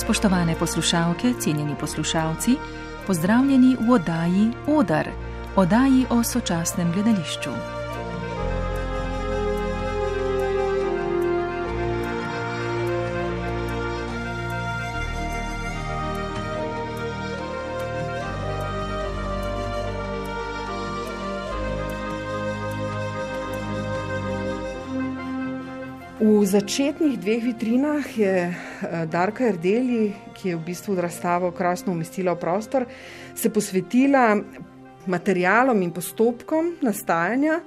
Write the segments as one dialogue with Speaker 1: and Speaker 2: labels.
Speaker 1: Spoštovane poslušalke, cenjeni poslušalci, pozdravljeni v oddaji Odar, oddaji o sočasnem gledališču.
Speaker 2: V začetnih dveh vitrinah je Darka Erdeli, ki je v bistvu razstavo krasno umestila v prostor, se posvetila materialom in postopkom nastajanja.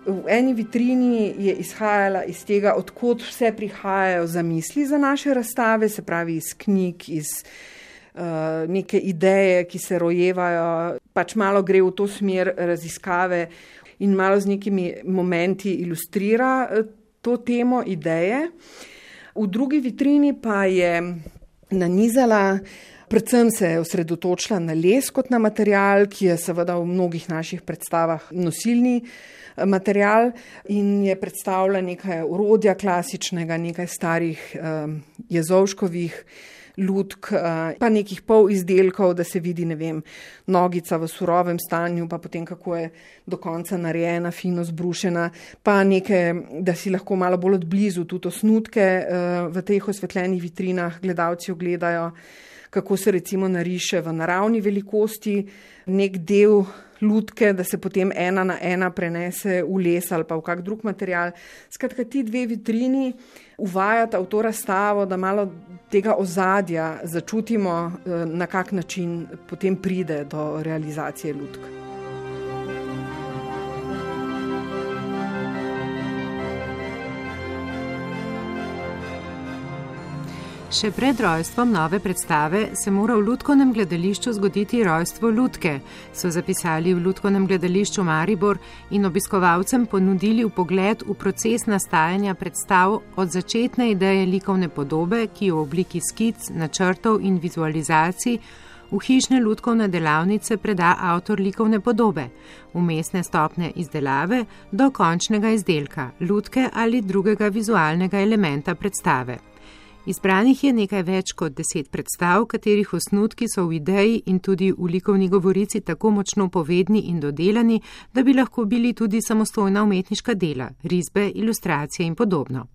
Speaker 2: V eni vitrini je izhajala iz tega, odkot vse prihajajo zamisli za naše razstave, se pravi iz knjig, iz neke ideje, ki se rojevajo, pač malo gre v to smer raziskave in malo z nekimi momenti ilustrira to temo ideje. V drugi vitrini pa je nanizala, predvsem se je osredotočila na les kot na material, ki je seveda v mnogih naših predstavah nosilni material in je predstavila nekaj orodja klasičnega, nekaj starih Jezovškovih lutk, pa nekih pol izdelkov, da se vidi, nogica v surovem stanju, pa potem kako je do konca narejena, fino zbrušena, pa nekaj, da si lahko malo bolj odblizu tudi osnutke v teh osvetljenih vitrinah gledalci ogledajo, kako se recimo nariše v naravni velikosti nek del lutke, da se potem ena na ena prenese v les ali pa v kak drug material. Skratka, ti dve vitrini uvajata v to razstavo, da malo tega ozadja začutimo, na kak način potem pride do realizacije lutk.
Speaker 3: Še pred rojstvom nove predstave se mora v Lutkovnem gledališču zgoditi rojstvo lutke, so zapisali v Lutkovnem gledališču Maribor in obiskovalcem ponudili vpogled v proces nastajanja predstav od začetne ideje likovne podobe, ki v obliki skic, načrtov in vizualizacij v hišne lutkovne delavnice preda avtor likovne podobe, vmesne stopnje izdelave do končnega izdelka, lutke ali drugega vizualnega elementa predstave. Izbranih je nekaj več kot 10 predstav, katerih osnutki so v ideji in tudi v likovni govorici tako močno povedni in dodelani, da bi lahko bili tudi samostojna umetniška dela, risbe, ilustracije in podobno.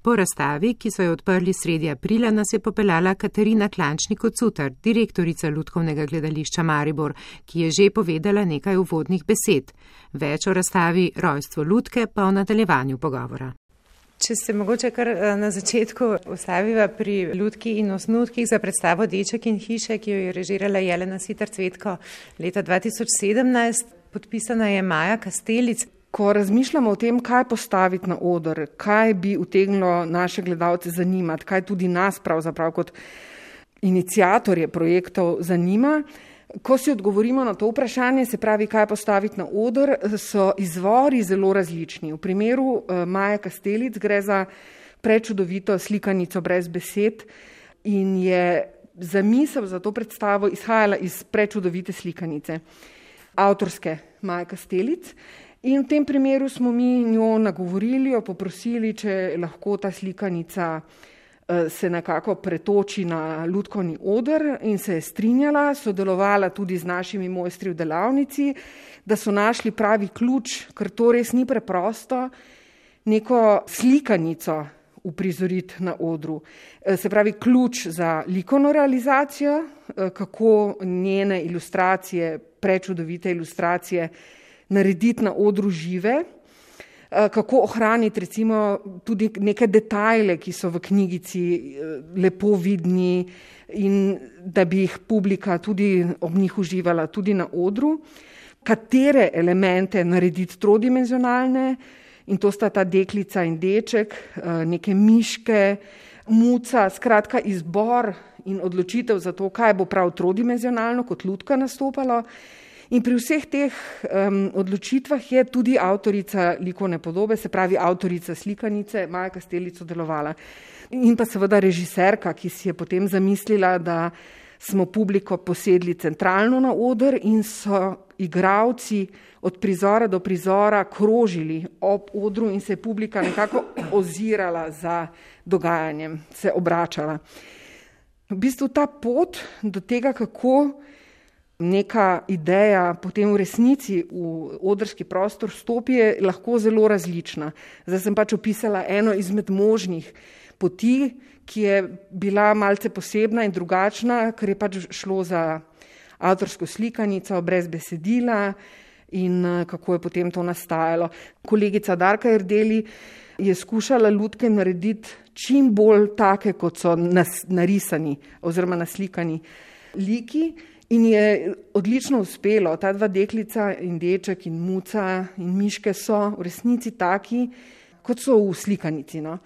Speaker 3: Po razstavi, ki so jo odprli sredi aprila, nas je popeljala Katarina Klančnik-Cocutar, direktorica Lutkovnega gledališča Maribor, ki je že povedala nekaj uvodnih besed. Več o razstavi Rojstvo lutke pa v nadaljevanju pogovora. Če se mogoče kar na začetku ustaviva pri lutki in osnutkih za predstavo Deček in hiše, ki jo je režirala Jelena Sitar Cvetko leta 2017, podpisana je Maja Kastelic.
Speaker 2: Ko razmišljamo o tem, kaj postaviti na oder, kaj bi utegnilo naše gledalce zanimati, kaj tudi nas pravzaprav kot iniciatorje projektov zanima, ko si odgovorimo na to vprašanje, se pravi, kaj postaviti na oder, so izvori zelo različni. V primeru Maje Kastelic gre za prečudovito slikanico brez besed in je zamisel za to predstavo izhajala iz prečudovite slikanice avtorske Maje Kastelic. In v tem primeru smo mi njo nagovorili, jo poprosili, če lahko ta slikanica se nekako pretoči na lutkovni oder in se je strinjala, sodelovala tudi z našimi mojstri v delavnici, da so našli pravi ključ, ker to res ni preprosto, neko slikanico uprizoriti na odru. Se pravi ključ za likovno realizacijo, kako njene ilustracije, prečudovite ilustracije narediti na odru žive, kako ohraniti recimo tudi neke detajle, ki so v knjigici lepo vidni in da bi jih publika tudi ob njih uživala tudi na odru, katere elemente narediti trodimenzionalne, in to sta ta deklica in deček, neke miške, muca, skratka izbor in odločitev za to, kaj bo prav trodimenzionalno kot lutka nastopalo. In pri vseh teh odločitvah je tudi avtorica likovne podobe, se pravi avtorica slikanice, Maja Kastelic sodelovala. In pa seveda režiserka, ki si je potem zamislila, da smo publiko posedli centralno na oder in so igralci od prizora do prizora krožili ob odru in se je publika nekako ozirala za dogajanjem, se obračala. V bistvu ta pot do tega, kako neka ideja potem v resnici v odrski prostor stopi, je lahko zelo različna. Zdaj sem pač opisala eno izmed možnih poti, ki je bila malce posebna in drugačna, ker je pač šlo za avtorsko slikanico brez besedila in kako je potem to nastajalo. Kolegica Darka Erdeli je skušala lutke narediti čim bolj take, kot so narisani oziroma naslikani liki in je odlično uspelo. Ta dva deklica in deček in muca in miške so v resnici taki, kot so v slikanici. No.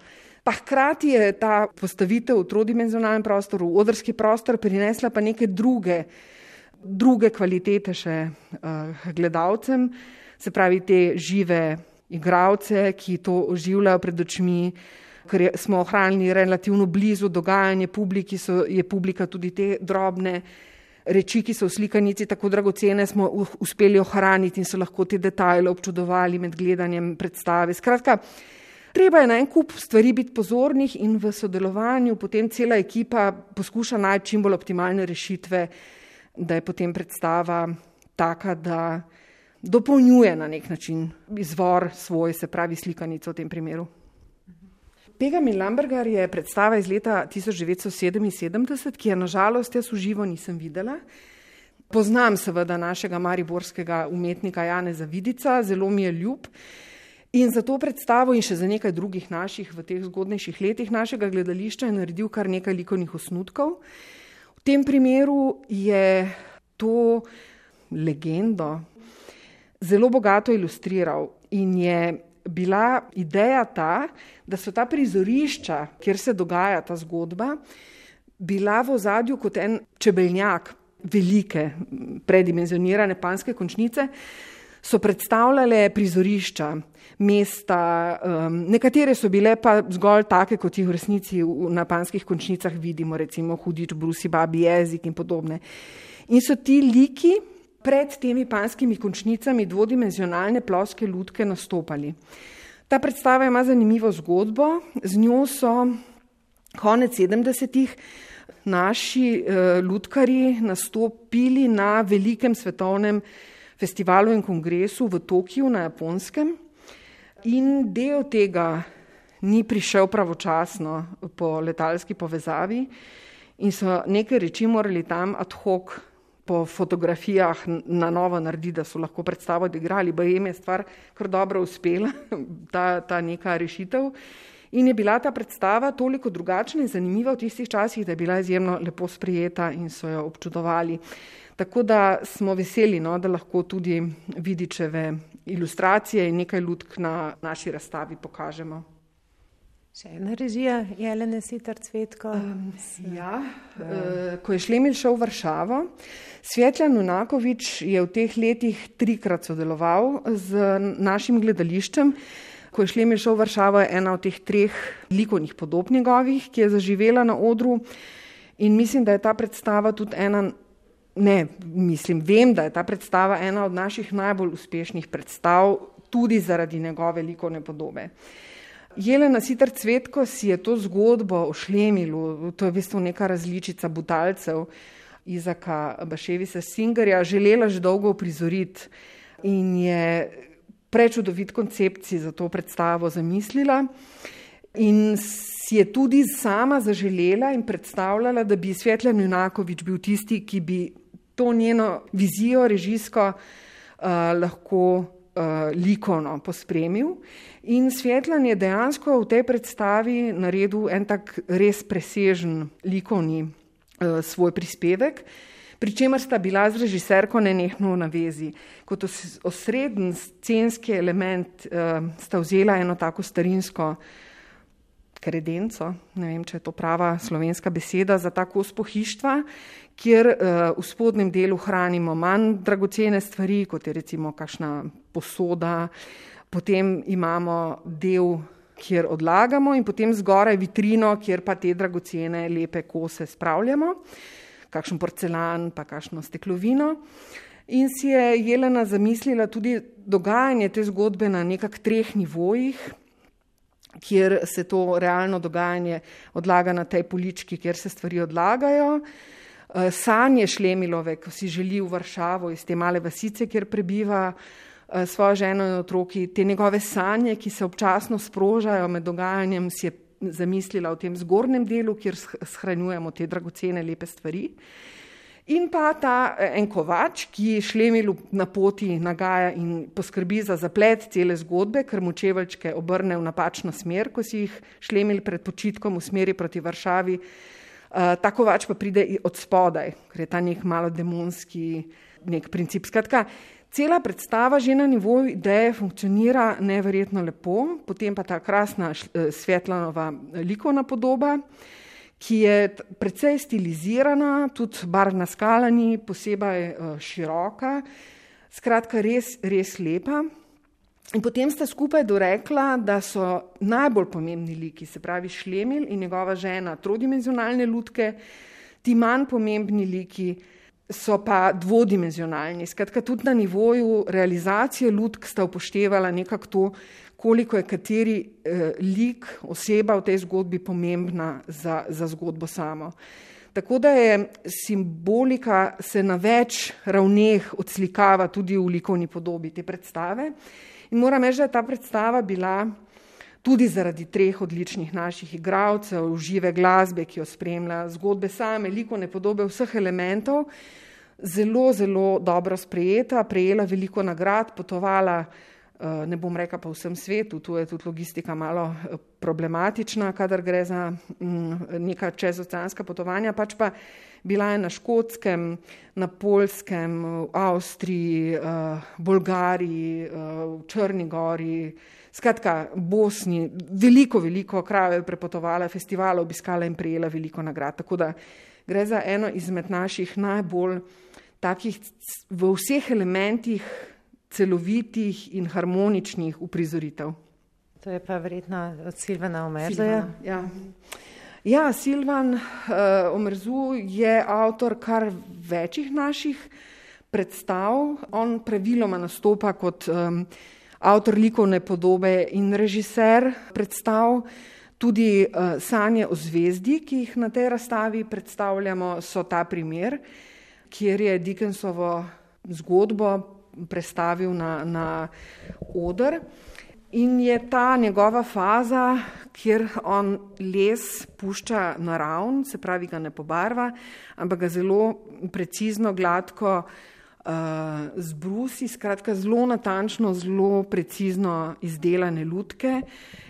Speaker 2: Pa hkrati je ta postavitev v trodimenzionalnem prostoru, v odrski prostor prinesla pa neke druge kvalitete še gledalcem, se pravi te žive igralce, ki to oživljajo pred očmi, ker smo ohranili relativno blizu dogajanje publiki, je publika tudi te drobne reči, ki so v slikanici tako dragocene, smo uspeli ohraniti in so lahko te detajle občudovali med gledanjem predstave. Skratka, treba je na en kup stvari biti pozornih in v sodelovanju potem cela ekipa poskuša najti čim bolj optimalne rešitve, da je potem predstava taka, da dopolnjuje na nek način izvor svoj, se pravi slikanico v tem primeru. Pegam in Lambergar je predstava iz leta 1977, ki je nažalost jaz v živo nisem videla. Poznam seveda našega mariborskega umetnika Janeza Vidica, zelo mi je ljub. In za to predstavo in še za nekaj drugih naših v teh zgodnejših letih našega gledališča je naredil kar nekaj likovnih osnutkov. V tem primeru je to legendo zelo bogato ilustriral in je bila ideja ta, da so ta prizorišča, kjer se dogaja ta zgodba, bila v ozadju kot en čebeljak, velike, predimenzionirane panjske končnice, so predstavljale prizorišča, mesta, nekatere so bile pa zgolj take, kot jih v resnici na panjskih končnicah vidimo, recimo Hudič, Brusi, Babi jezik in podobne. In so ti liki pred temi panjskimi končnicami dvodimenzionalne ploske lutke nastopali. Ta predstava ima zanimivo zgodbo, z njo so konec 70-ih naši lutkarji nastopili na velikem svetovnem festivalu in kongresu v Tokiu na Japonskem in del tega ni prišel pravočasno po letalski povezavi in so neke reči morali tam ad hoc po fotografijah na novo narediti, da so lahko predstavo odigrali, ba jim je stvar kar dobro uspela, ta neka rešitev. In je bila ta predstava toliko drugačna in zanimiva v tistih časih, da je bila izjemno lepo sprejeta in so jo občudovali. Tako da smo veseli, no, da lahko tudi Vidičeve ilustracije in nekaj lutk na naši razstavi pokažemo.
Speaker 3: Še ena režija, Jelene Sitar Cvetko.
Speaker 2: Ko je Šlemil šel v Varšavo, Svetlan Unakovič je v teh letih 3-krat sodeloval z našim gledališčem. Ko je Šlemil šel v Varšavo, je ena od teh 3 likovnih podob njegovih, ki je zaživela na odru in mislim, da je ta predstava tudi vem, da je ta predstava ena od naših najbolj uspešnih predstav, tudi zaradi njegove likovne podobe. Jelena Sitar Cvetko si je to zgodbo o Šlemilu, to je v bistvu neka različica Butalcev Izaka Baševisa Singerja, želela že dolgo uprizoriti in je prečudovit koncept si za to predstavo zamislila in si je tudi sama zaželela in predstavljala, da bi Svetlan Unakovič bil tisti, ki bi to njeno vizijo režijsko lahko likovno pospremil. In Svetlan je dejansko v tej predstavi naredil en tak res presežen likovni svoj prispevek, pri čemer sta bila z režiserko nenehno v navezi. Kot osrednji scenski element sta vzela eno tako starinsko kredenco, ne vem, če je to prava slovenska beseda za ta kos pohištva, kjer v spodnjem delu hranimo manj dragocene stvari, kot je recimo kakšna posoda, potem imamo del, kjer odlagamo in potem zgoraj vitrino, kjer pa te dragocene lepe kose spravljamo, kakšen porcelan, pa kakšno steklovino. In si je Jelena zamislila tudi dogajanje te zgodbe na nekak 3 nivojih. kjer se to realno dogajanje odlaga na tej polički, kjer se stvari odlagajo. Sanje Šlemilove, ko si želi v Varšavo iz te male vasice, kjer prebiva svojo ženo in otroki, te njegove sanje, ki se občasno sprožajo med dogajanjem, si je zamislila v tem zgornjem delu, kjer shranjujemo te dragocene, lepe stvari. In pa ta en kovač, ki Šlemilu na poti nagaja in poskrbi za zaplet cele zgodbe, ker mu čeveljčke obrne v napačno smer, ko si jih Šlemil pred počitkom v smeri proti Varšavi. Ta kovač pa pride od spodaj, ker je ta nek malo demonski nek princip. Skratka, cela predstava že na nivoju ideje funkcionira neverjetno lepo, potem pa ta krasna Svetlanova likovna podoba, ki je precej stilizirana, tudi barvna skala ni posebej široka, skratka res, res lepa. In potem sta skupaj dorekla, da so najbolj pomembni liki, se pravi Šlemil in njegova žena, trodimenzionalne lutke, ti manj pomembni liki so pa dvodimenzionalni. Skratka, tudi na nivoju realizacije lutk sta upoštevala nekako to, koliko je kateri lik, oseba v tej zgodbi pomembna za zgodbo samo. Tako da je simbolika se na več ravneh odslikava tudi v likovni podobi te predstave. In moram reči, da je ta predstava bila tudi zaradi 3 odličnih naših igralcev, žive glasbe, ki jo spremlja, zgodbe same, likovne podobe vseh elementov, zelo, zelo dobro sprejeta, prejela veliko nagrad, potovala, ne bom rekla po vsem svetu, tu je tudi logistika malo problematična, kadar gre za neka čezoceanska potovanja, pač pa bila je na Škotskem, na Poljskem, v Avstriji, Bolgariji, v Črni gori, skratka Bosni, veliko krajev je prepotovala, festivala obiskala in prejela veliko nagrad. Tako da gre za eno izmed naših najbolj takih v vseh elementih celovitih in harmoničnih uprizoritev.
Speaker 3: To je pa verjetno od Silvana Omerzuja.
Speaker 2: Ja, Silvan Omerzu je avtor kar večjih naših predstav. On praviloma nastopa kot avtor likovne podobe in režiser predstav. Tudi Sanje o zvezdi, ki jih na tej razstavi predstavljamo, so ta primer, kjer je Dickensovo zgodbo prestavil na oder. In je ta njegova faza, kjer on les pušča naravn, se pravi ga ne pobarva, ampak ga zelo precizno, gladko zbrusi, skratka zelo natančno, zelo precizno izdelane lutke.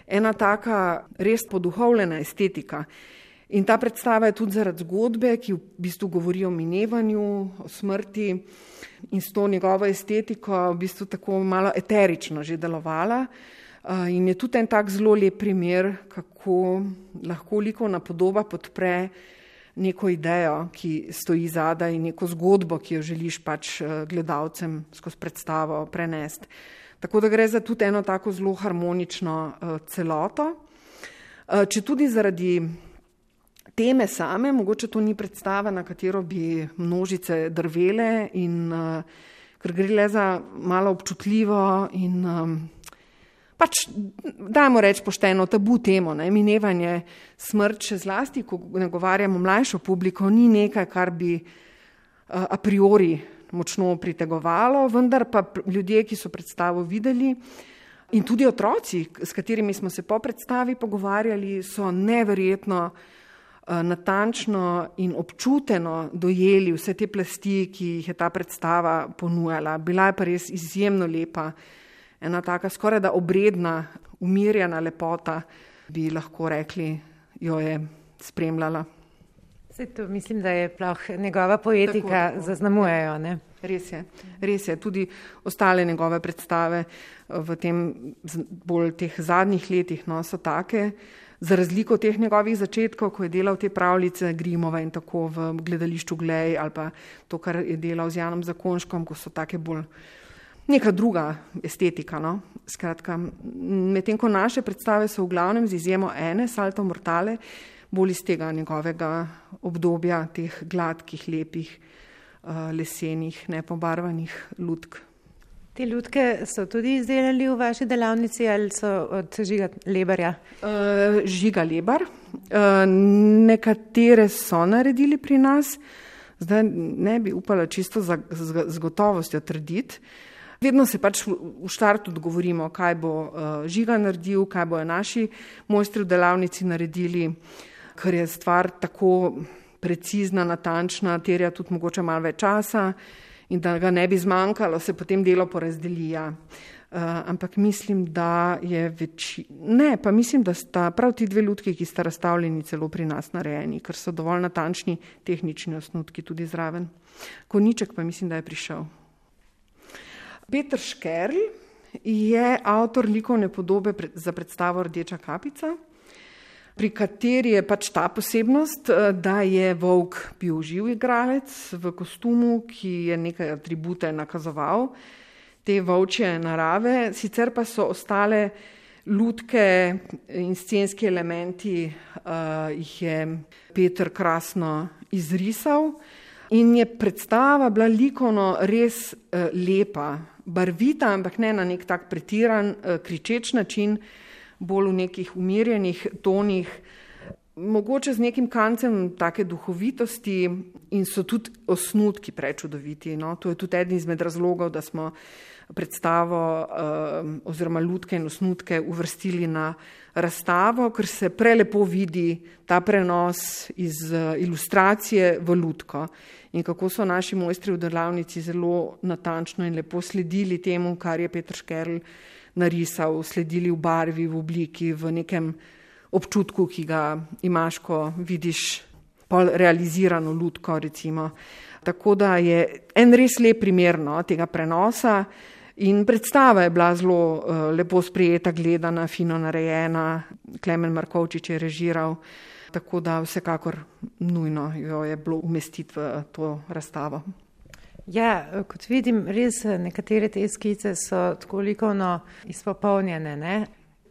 Speaker 2: Ena taka res poduhovljena estetika. In ta predstava je tudi zaradi zgodbe, ki v bistvu govori o minevanju, o smrti in s to njegovo estetiko v bistvu tako malo eterično že delovala. In je tudi en tak zelo lep primer, kako lahko likovna podoba podpre neko idejo, ki stoji zadaj, in neko zgodbo, ki jo želiš pač gledalcem skozi predstavo prenesti. Tako da gre za tudi eno tako zelo harmonično celoto. Če tudi zaradi teme same, mogoče to ni predstava, na katero bi množice drvele, in ker gre le za malo občutljivo in pač, dajmo reči pošteno, tabu temo, ne, minevanje, smrt, še zlasti, ko nagovarjamo mlajšo publiko, ni nekaj, kar bi a priori močno pritegovalo, vendar pa ljudje, ki so predstavo videli, in tudi otroci, s katerimi smo se po predstavi pogovarjali, so neverjetno natančno in občuteno dojeli vse te plasti, ki jih je ta predstava ponujala. Bila je pa res izjemno lepa, ena taka skoraj da obredna, umirjena lepota, bi lahko rekli, jo je spremljala.
Speaker 3: To mislim, da je njegova poetika tako zaznamujejo, ne?
Speaker 2: Res je. Tudi ostale njegove predstave v tem bolj teh zadnjih letih so take, za razliko teh njegovih začetkov, ko je delal te pravljice Grimove in tako v gledališču Glej, ali pa to, kar je delal z Janom Zakonškom, ko so take bolj neka druga estetika. Skratka, medtem ko naše predstave so v glavnem z izjemo ene, Salto Mortale, bolj iz tega njegovega obdobja, teh gladkih, lepih, lesenih, nepobarvanih lutk.
Speaker 3: Te lutke so tudi izdelali v vaši delavnici ali so od Žiga Lebarja?
Speaker 2: Žiga Lebar. Nekatere so naredili pri nas, zdaj ne bi upala čisto z gotovostjo trditi. Vedno se pač v štartu dogovorimo, kaj bo Žiga naredil, kaj bojo naši mojstri v delavnici naredili, ker je stvar tako precizna, natančna, terja tudi mogoče malo več časa in da ga ne bi zmanjkalo, se potem delo porazdeli. Ampak mislim, da je mislim, da sta prav ti dve lutki, ki sta razstavljeni celo pri nas narejeni, ker so dovolj natančni tehnični osnutki tudi zraven. Konjiček pa mislim, da je prišel. Peter Škerl je avtor likovne podobe za predstavo Rdeča kapica, pri kateri je pač ta posebnost, da je Volk bil živ igralec v kostumu, ki je nekaj atribute nakazoval, te volčje narave, sicer pa so ostale lutke in scenski elementi, jih je Peter krasno izrisal in je predstava bila likovno res lepa, barvita, ampak ne na nek tak pretiran, kričeč način, bolj v nekih umirjenih tonih, mogoče z nekim kancem take duhovitosti in so tudi osnutki prečudoviti. No? To je tudi eden izmed razlogov, da smo predstavo oziroma lutke in osnutke uvrstili na razstavo, ker se prelepo vidi ta prenos iz ilustracije v lutko in kako so naši mojstri v delavnici zelo natančno in lepo sledili temu, kar je Peter Škerl narisal, sledili v barvi, v obliki, v nekem občutku, ki ga imaš, ko vidiš pol realizirano lutko, recimo. Tako da je en res lep primer tega prenosa in predstava je bila zelo lepo sprejeta, gledana, fino narejena, Klemen Markovčič je režiral, tako da vsekakor nujno jo je bilo umestiti v to razstavo.
Speaker 3: Ja, kot vidim, res nekatere te skice so tako likovno izpopolnjene, ne?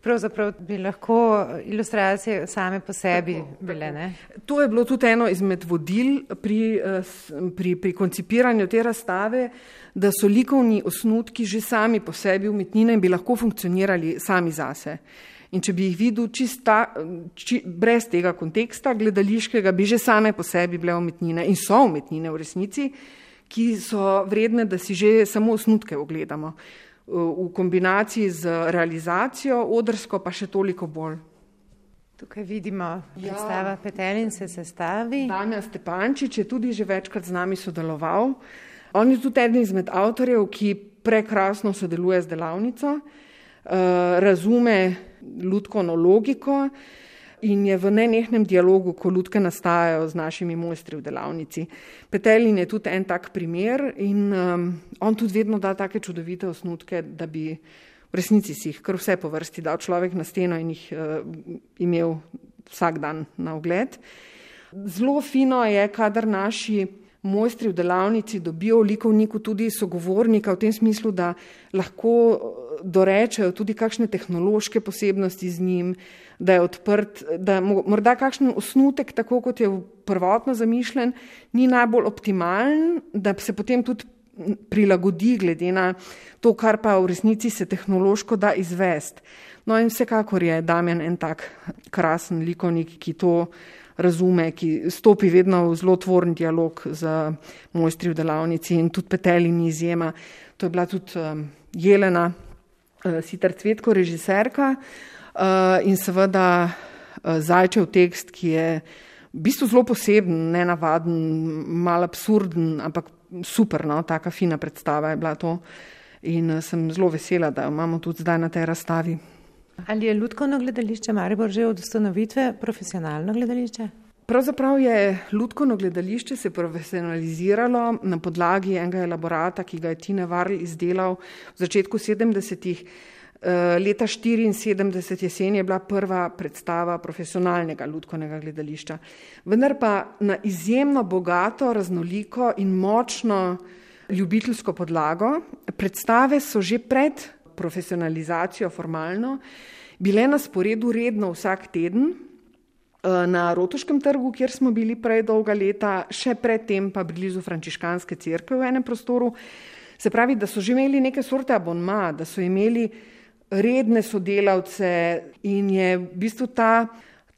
Speaker 3: Pravzaprav bi lahko ilustracije same po sebi bile, ne?
Speaker 2: To je bilo tudi eno izmed vodil pri koncipiranju te razstave, da so likovni osnutki že sami po sebi umetnine in bi lahko funkcionirali sami zase. In če bi jih videl brez tega konteksta gledališkega, bi že same po sebi bile umetnine in so umetnine v resnici, ki so vredne, da si že samo osnutke ogledamo. V kombinaciji z realizacijo, odrsko pa še toliko bolj.
Speaker 3: Tukaj vidimo predstava Petelin se sestavi.
Speaker 2: Damjan Stepančič je tudi že večkrat z nami sodeloval. On je tudi eden izmed avtorjev, ki prekrasno sodeluje z delavnico, razume lutkovno logiko in je v nenehnem dialogu, ko lutke nastajajo z našimi mojstri v delavnici. Petelin je tudi en tak primer in on tudi vedno da take čudovite osnutke, da bi v resnici si jih kar vse po vrsti dal človek na steno in jih imel vsak dan na ogled. Zelo fino je, kadar naši mojstri v delavnici dobijo v likovniku tudi sogovornika v tem smislu, da lahko dorečejo tudi kakšne tehnološke posebnosti z njim, da je odprt, da morda kakšen osnutek, tako kot je prvotno zamišljen, ni najbolj optimalen, da se potem tudi prilagodi glede na to, kar pa v resnici se tehnološko da izvesti. No in vsekakor je Damjan en tak krasen likovnik, ki to razume, ki stopi vedno v zelo tvoren dialog z mojstri v delavnici in tudi Petelin izjema. To je bila tudi Jelena Sitar Cvetko, režiserka in seveda Zajčev tekst, ki je v bistvu zelo poseben, nenavaden, malo absurden, ampak super, taka fina predstava je bila to in sem zelo vesela, da jo imamo tudi zdaj na tej razstavi.
Speaker 3: Ali je Lutkovno gledališče Maribor že od ustanovitve profesionalno gledališče?
Speaker 2: Pravzaprav je Lutkovno gledališče se profesionaliziralo na podlagi enega elaborata, ki ga je Tine Varl izdelal v začetku 70-ih. Leta 1974 jesen je bila prva predstava profesionalnega lutkovnega gledališča. Vendar pa na izjemno bogato, raznoliko in močno ljubiteljsko podlago. Predstave so že pred profesionalizacijo formalno bile na sporedu redno vsak teden na Rotuškem trgu, kjer smo bili prej dolga leta, še predtem pa blizu Frančiškanske cerkve v enem prostoru. Se pravi, da so že imeli neke sorte abonma, da so imeli redne sodelavce in je v bistvu ta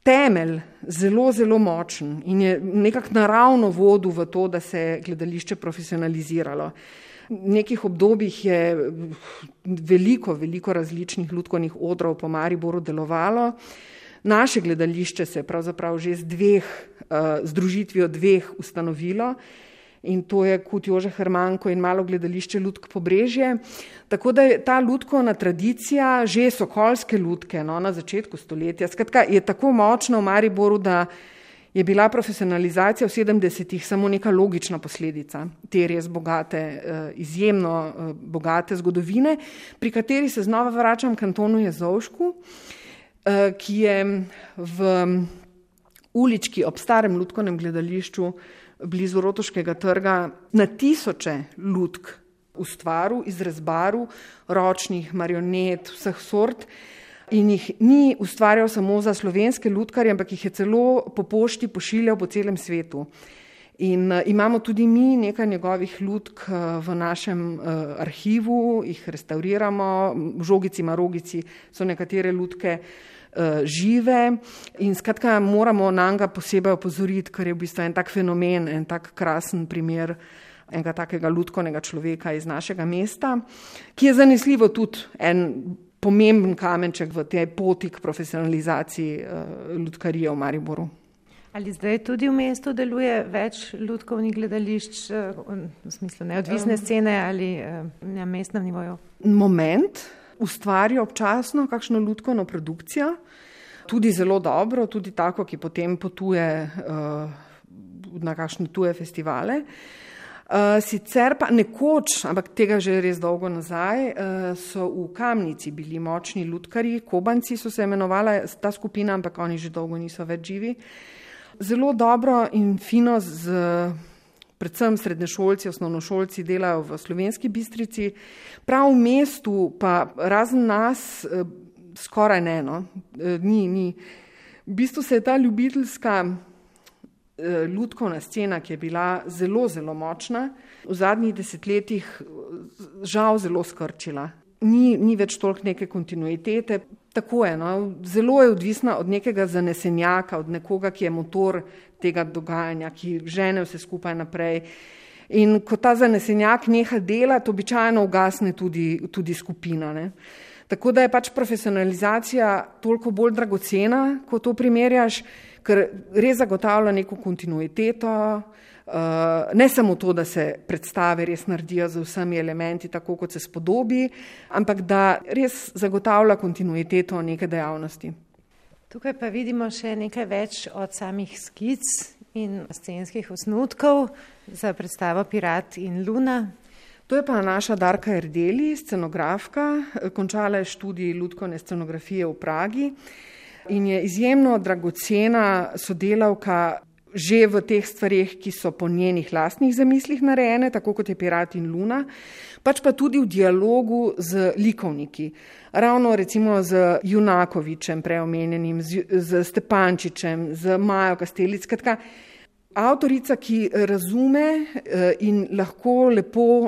Speaker 2: temelj zelo, zelo močen in je nekako naravno vodil v to, da se je gledališče profesionaliziralo. V nekih obdobjih je veliko različnih lutkovnih odrov po Mariboru delovalo. Naše gledališče se je pravzaprav že z združitvijo dveh ustanovilo in to je Kut Jože Hermanko in Malo gledališče Lutk Pobrežje. Tako da je ta lutkovna tradicija, že sokolske lutke na začetku stoletja, skratka, je tako močna v Mariboru, da je bila profesionalizacija v 70-ih samo neka logična posledica te res bogate, izjemno bogate zgodovine, pri kateri se znova vračam k Antonu Jezovšku, ki je v ulički ob starem lutkovnem gledališču blizu Rotoškega trga na tisoče lutk ustvaril, izrezbaril, ročnih, marionet, vseh sort in jih ni ustvarjal samo za slovenske lutkarje, ampak jih je celo po pošti pošiljal po celem svetu. In imamo tudi mi nekaj njegovih lutk v našem arhivu, jih restauriramo, v Žogici, Marogici so nekatere lutke žive in skratka moramo nanj posebej opozoriti, ker je v bistvu en tak fenomen, en tak krasen primer enega takega lutkovnega človeka iz našega mesta, ki je zanesljivo tudi en pomemben kamenček v tej poti k profesionalizaciji lutkarije v Mariboru.
Speaker 3: Ali zdaj tudi v mestu deluje več lutkovnih gledališč, v smislu neodvisne scene ali na mestnem nivoju?
Speaker 2: Moment ustvari občasno kakšno lutkovno produkcijo, tudi zelo dobro, tudi tako, ki potem potuje na kakšne tuje festivale. Sicer pa nekoč, ampak tega že res dolgo nazaj, so v Kamnici bili močni lutkarji, Kobanci so se imenovala ta skupina, ampak oni že dolgo niso več živi. Zelo dobro in fino predvsem srednješolci, osnovnošolci delajo v Slovenski Bistrici, prav v mestu pa razen nas skoraj ne, ni. V bistvu se je ta ljubiteljska lutkovna scena, ki je bila zelo, zelo močna, v zadnjih desetletjih žal zelo skrčila. Ni več toliko neke kontinuitete, tako je, zelo je odvisna od nekega zanesenjaka, od nekoga, ki je motor tega dogajanja, ki žene vse skupaj naprej. In ko ta zanesenjak neha delati, običajno ugasne tudi skupina. Ne. Tako da je pač profesionalizacija toliko bolj dragocena, ko to primerjaš, ker res zagotavlja neko kontinuiteto, ne samo to, da se predstave res naredijo z vsemi elementi, tako kot se spodobi, ampak da res zagotavlja kontinuiteto neke dejavnosti.
Speaker 3: Tukaj pa vidimo še nekaj več od samih skic in scenskih osnutkov za predstavo Pirat in Luna.
Speaker 2: To je pa naša Darka Erdeli, scenografka, končala je študij lutkovne scenografije v Pragi in je izjemno dragocena sodelavka že v teh stvarih, ki so po njenih lastnih zamislih narejene, tako kot je Pirat in Luna, pač pa tudi v dialogu z likovniki. Ravno recimo z Junakovičem preomenjenim, z Stepančičem, z Majo Kastelic, skratka, avtorica, ki razume in lahko lepo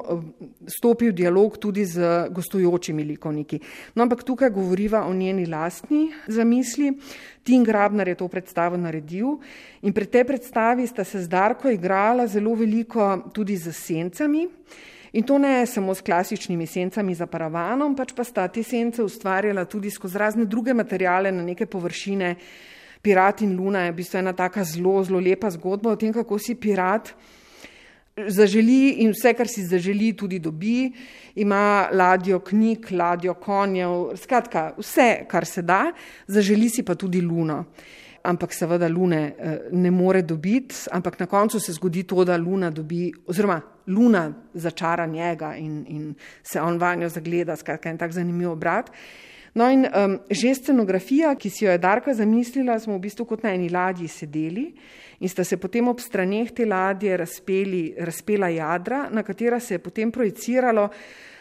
Speaker 2: stopi v dialog tudi z gostujočimi likovniki. No, ampak tukaj govoriva o njeni lastni zamisli. Tin Grabnar je to predstavo naredil in pri tej predstavi sta se z Darko igrala zelo veliko tudi z sencami. In to ne samo s klasičnimi sencami za paravanom, pač pa sta te sence ustvarjala tudi skozi razne druge materiale na neke površine. Pirat in Luna je v bistvu ena taka zelo, zelo lepa zgodba o tem, kako si pirat zaželi in vse, kar si zaželi, tudi dobi. Ima ladjo knjig, ladjo konjev, skratka vse, kar se da, zaželi si pa tudi Luno. Ampak seveda Lune ne more dobiti, ampak na koncu se zgodi to, da Luna dobi, oziroma Luna začara njega in se on vanjo zagleda, skratka en tak zanimiv obrat. No in že scenografija, ki si jo je Darka zamislila, smo v bistvu kot na eni ladji sedeli in sta se potem ob straneh te ladje razpela jadra, na katera se je potem projiciralo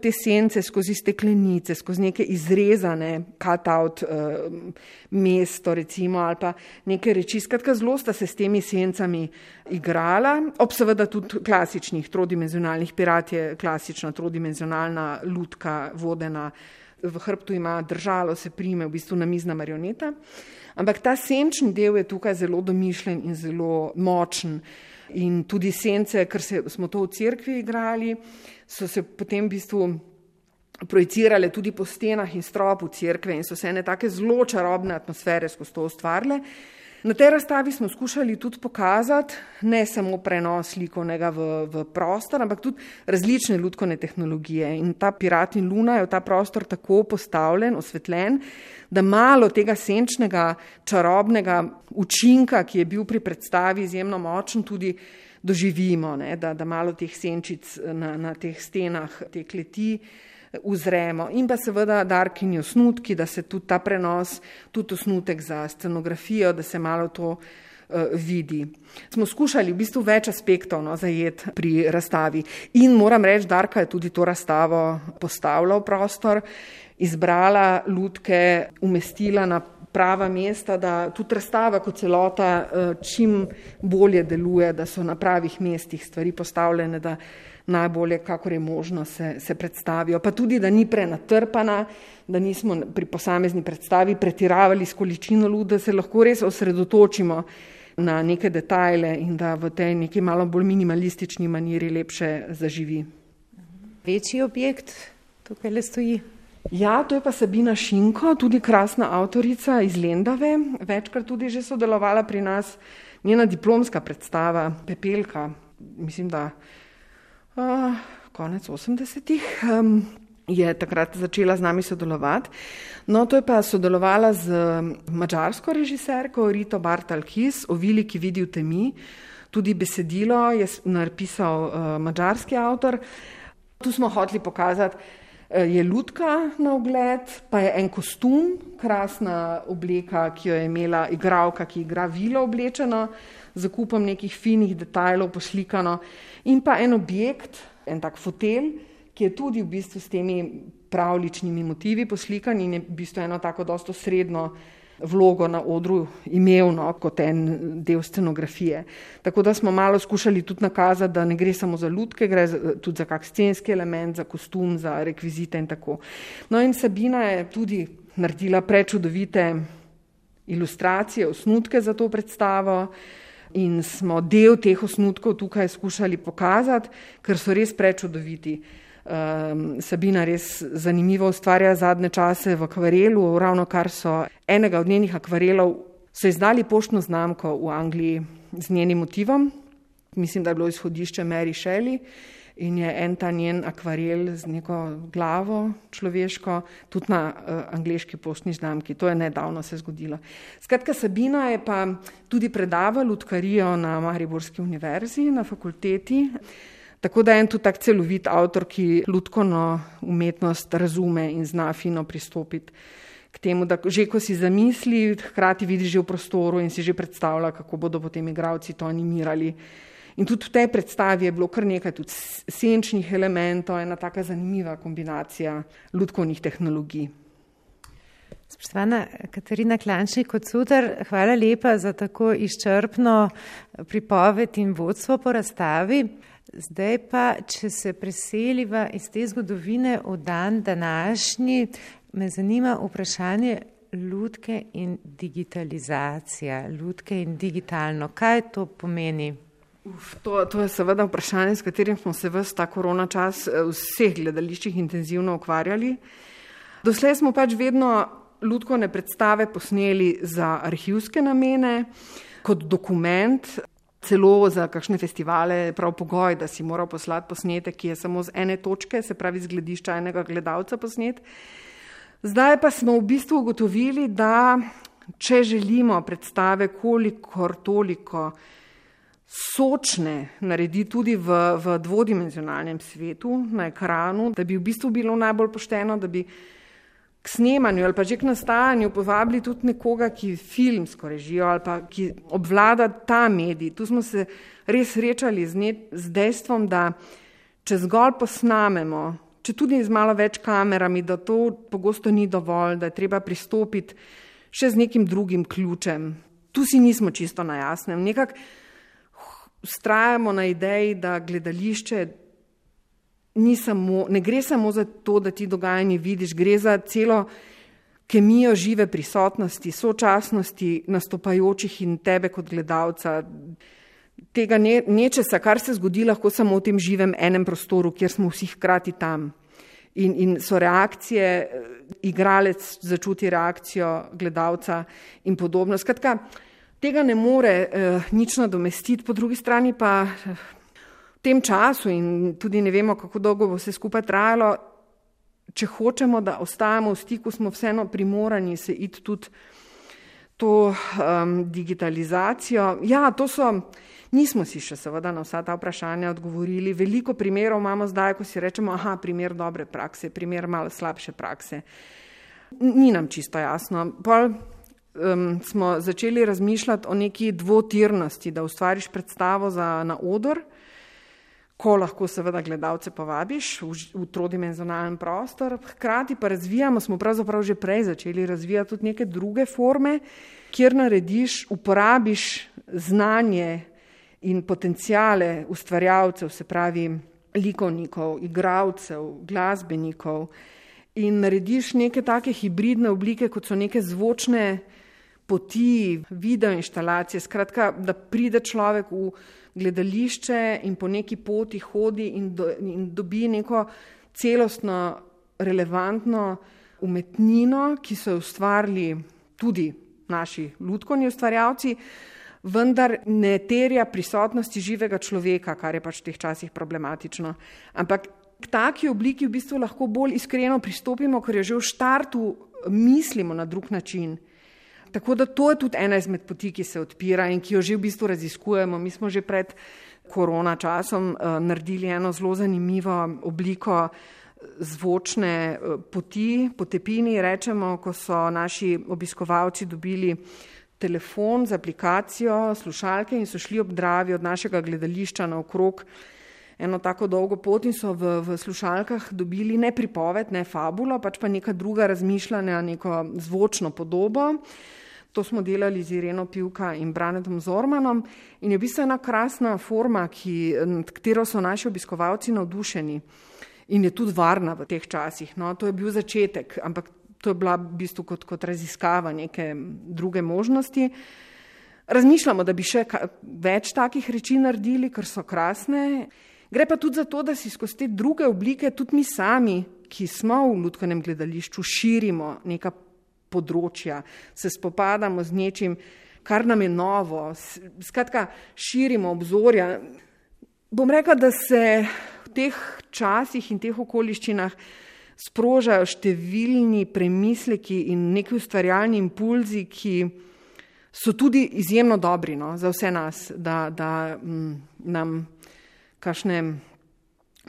Speaker 2: te sence skozi steklenice, skozi neke izrezane cut-out mesto recimo ali pa neke reči. Skratka, zelo sta se s temi sencami igrala, ob seveda tudi klasičnih trodimenzionalnih. Pirat je klasična trodimenzionalna lutka vodena, v hrbtu ima držalo, se prime, v bistvu namizna marioneta. Ampak ta senčni del je tukaj zelo domišljen in zelo močen. In tudi sence, ker smo to v cerkvi igrali, so se potem v bistvu projicirale tudi po stenah in stropu cerkve in so se ene take zelo čarobne atmosfere skozi to ustvarile. Na tej razstavi smo skušali tudi pokazati ne samo prenos likovnega v prostor, ampak tudi različne lutkovne tehnologije. In ta Pirat in Luna je v ta prostor tako postavljen, osvetljen, da malo tega senčnega, čarobnega učinka, ki je bil pri predstavi izjemno močen, tudi doživimo, ne? Da malo teh senčic na teh stenah, te kleti uzremo. In pa seveda Darkini osnutki, da se tudi ta prenos, tudi osnutek za scenografijo, da se malo to vidi. Smo skušali v bistvu več aspektov zajeti pri razstavi. In moram reči, Darka je tudi to razstavo postavila v prostor, izbrala lutke, umestila na prava mesta, da tudi razstava kot celota čim bolje deluje, da so na pravih mestih stvari postavljene, da najbolje, kakor je možno, se predstavijo. Pa tudi, da ni prenatrpana, da nismo pri posamezni predstavi pretiravali s količino lut, da se lahko res osredotočimo na neke detajle in da v tej neki malo bolj minimalistični maniri lepše zaživi.
Speaker 3: Večji objekt tukaj le stoji?
Speaker 2: Ja, to je pa Sabina Šinko, tudi krasna avtorica iz Lendave, večkrat tudi že sodelovala pri nas, njena diplomska predstava Pepelka, mislim, da konec 80-ih je takrat začela z nami sodelovati. No, to je pa sodelovala z madžarsko režiserko Rito Bartalkis o vili, ki vidi v temi. Tudi besedilo je napisal madžarski avtor. Tu smo hoteli pokazati, je lutka na ogled, pa je en kostum, krasna obleka, ki jo je imela igralka, ki igra vilo oblečeno, z kupom nekih finih detajlov poslikano, in pa en objekt, en tak fotelj, ki je tudi v bistvu s temi pravličnimi motivi poslikan in je v bistvu eno tako dosto srednjo vlogo na odru imel, kot en del scenografije. Tako da smo malo skušali tudi nakazati, da ne gre samo za lutke, gre tudi za kak scenski element, za kostum, za rekvizite in tako. No in Sabina je tudi naredila prečudovite ilustracije, osnutke za to predstavo in smo del teh osnutkov tukaj skušali pokazati, ker so res prečudoviti. Sabina res zanimivo ustvarja zadnje čase v akvarelu, ravno kar so enega od njenih akvarelov, so izdali poštno znamko v Angliji z njenim motivom. Mislim, da je bilo izhodišče Mary Shelley in je en ta njen akvarel z neko glavo človeško tudi na angleški poštni znamki. To je nedavno se zgodilo. Skratka, Sabina je pa tudi predavala lutkarijo na Mariborski univerzi, na fakulteti. Tako da je en tudi tak celovit avtor, ki lutkovno umetnost razume in zna fino pristopiti k temu, da že ko si zamisli, hkrati vidi že v prostoru in si že predstavlja, kako bodo potem igralci to animirali. In tudi v tej predstavi je bilo kar nekaj tudi senčnih elementov, ena taka zanimiva kombinacija lutkovnih tehnologij.
Speaker 3: Spoštovana Katarina Klančnik-Kocutar, hvala lepa za tako izčrpno pripoved in vodstvo po razstavi. Zdaj pa, če se preseliva iz te zgodovine v dan današnji, me zanima vprašanje lutke in digitalizacija, lutke in digitalno. Kaj to pomeni?
Speaker 2: To je seveda vprašanje, s katerim smo se ves ta korona čas v vseh gledališčih intenzivno ukvarjali. Doslej smo pač vedno lutkovne predstave posneli za arhivske namene, kot dokument, celo za kakšne festivale prav pogoj, da si moral poslati posnetek, ki je samo z ene točke, se pravi z gledišča enega gledalca posnet. Zdaj pa smo v bistvu ugotovili, da če želimo predstave kolikor toliko sočne narediti tudi v dvodimenzionalnem svetu, na ekranu, da bi v bistvu bilo najbolj pošteno, da bi k snemanju ali pa že k nastajanju povabili tudi nekoga, ki filmsko režijo ali pa ki obvlada ta medij. Tu smo se res srečali z dejstvom, da če zgolj posnamemo, če tudi z malo več kamerami, da to pogosto ni dovolj, da je treba pristopiti še z nekim drugim ključem. Tu si nismo čisto na jasnem. Nekako vztrajamo na ideji, da gledališče ne gre samo za to, da ti dogajanje vidiš, gre za celo kemijo žive prisotnosti, sočasnosti nastopajočih in tebe kot gledalca. Tega nečesa, kar se zgodi lahko samo v tem živem enem prostoru, kjer smo vsi hkrati tam. In so reakcije, igralec začuti reakcijo gledalca in podobno. Skratka, tega ne more nič nadomestiti, po drugi strani pa v tem času in tudi ne vemo, kako dolgo bo vse skupaj trajalo, če hočemo, da ostajamo v stiku, smo vseeno primorani se iti tudi to digitalizacijo. Ja, nismo si še seveda na vsa ta vprašanja odgovorili. Veliko primerov imamo zdaj, ko si rečemo, primer dobre prakse, primer malo slabše prakse. Ni nam čisto jasno. Smo začeli razmišljati o neki dvotirnosti, da ustvariš predstavo na oder, ko lahko seveda gledalce povabiš v trodimenzionalen prostor, hkrati pa smo pravzaprav že prej začeli razvijati tudi neke druge forme, kjer uporabiš znanje in potenciale ustvarjalcev, se pravi likovnikov, igralcev, glasbenikov in narediš neke take hibridne oblike, kot so neke zvočne poti, video inštalacije, skratka, da pride človek v gledališče in po neki poti hodi in dobi neko celostno, relevantno umetnino, ki so jo ustvarili tudi naši lutkovni ustvarjalci, vendar ne terja prisotnosti živega človeka, kar je pač v teh časih problematično. Ampak k taki obliki v bistvu lahko bolj iskreno pristopimo, ker jo že v štartu mislimo na drug način. Tako da to je tudi ena izmed poti, ki se odpira in ki jo že v bistvu raziskujemo. Mi smo že pred korona časom naredili eno zelo zanimivo obliko zvočne poti, potepini rečemo, ko so naši obiskovalci dobili telefon z aplikacijo, slušalke in so šli ob Dravi od našega gledališča naokrog eno tako dolgo pot in so v slušalkah dobili ne pripoved, ne fabulo, pač pa neka druga razmišljanja, neko zvočno podobo. To smo delali z Ireno Pivka in Branetom Zormanom in je v bistvu ena krasna forma, nad katero so naši obiskovalci navdušeni in je tudi varna v teh časih. No, to je bil začetek, ampak to je bila v bistvu kot raziskava neke druge možnosti. Razmišljamo, da bi še več takih reči naredili, ker so krasne. Gre pa tudi za to, da si skozi te druge oblike tudi mi sami, ki smo v lutkovnem gledališču, širimo neka področja, se spopadamo z nečim, kar nam je novo. Skratka, širimo obzorja. Bom rekla, da se v teh časih in teh okoliščinah sprožajo številni premisleki in neki ustvarjalni impulzi, ki so tudi izjemno dobri, no, za vse nas, da nam kakšne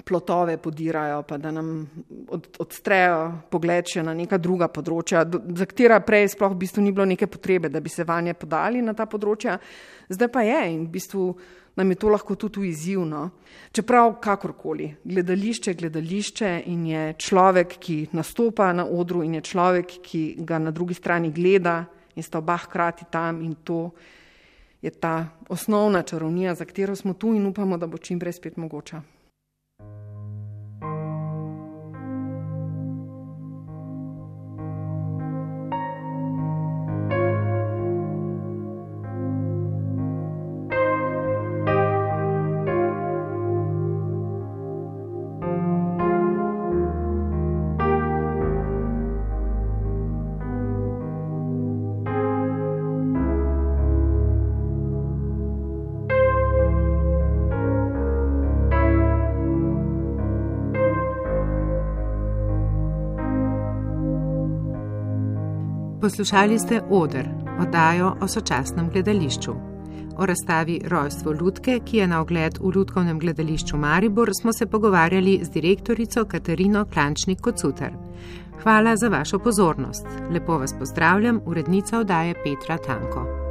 Speaker 2: plotove podirajo, pa da nam odstrejo pogled še na neka druga področja, za katera prej sploh v bistvu ni bilo neke potrebe, da bi se vanje podali na ta področja. Zdaj pa je in v bistvu nam je to lahko tudi izzivno. Čeprav kakorkoli, gledališče in je človek, ki nastopa na odru in je človek, ki ga na drugi strani gleda in sta oba hkrati tam in to je ta osnovna čarovnija, za katero smo tu in upamo, da bo čim prej spet mogoča.
Speaker 3: Poslušali ste Oder, oddajo o sočasnem gledališču. O razstavi Rojstvo lutke, ki je na ogled v Lutkovnem gledališču Maribor, smo se pogovarjali z direktorico Katarino Klančnik-Kocutar. Hvala za vašo pozornost. Lepo vas pozdravljam, urednica oddaje Petra Tanko.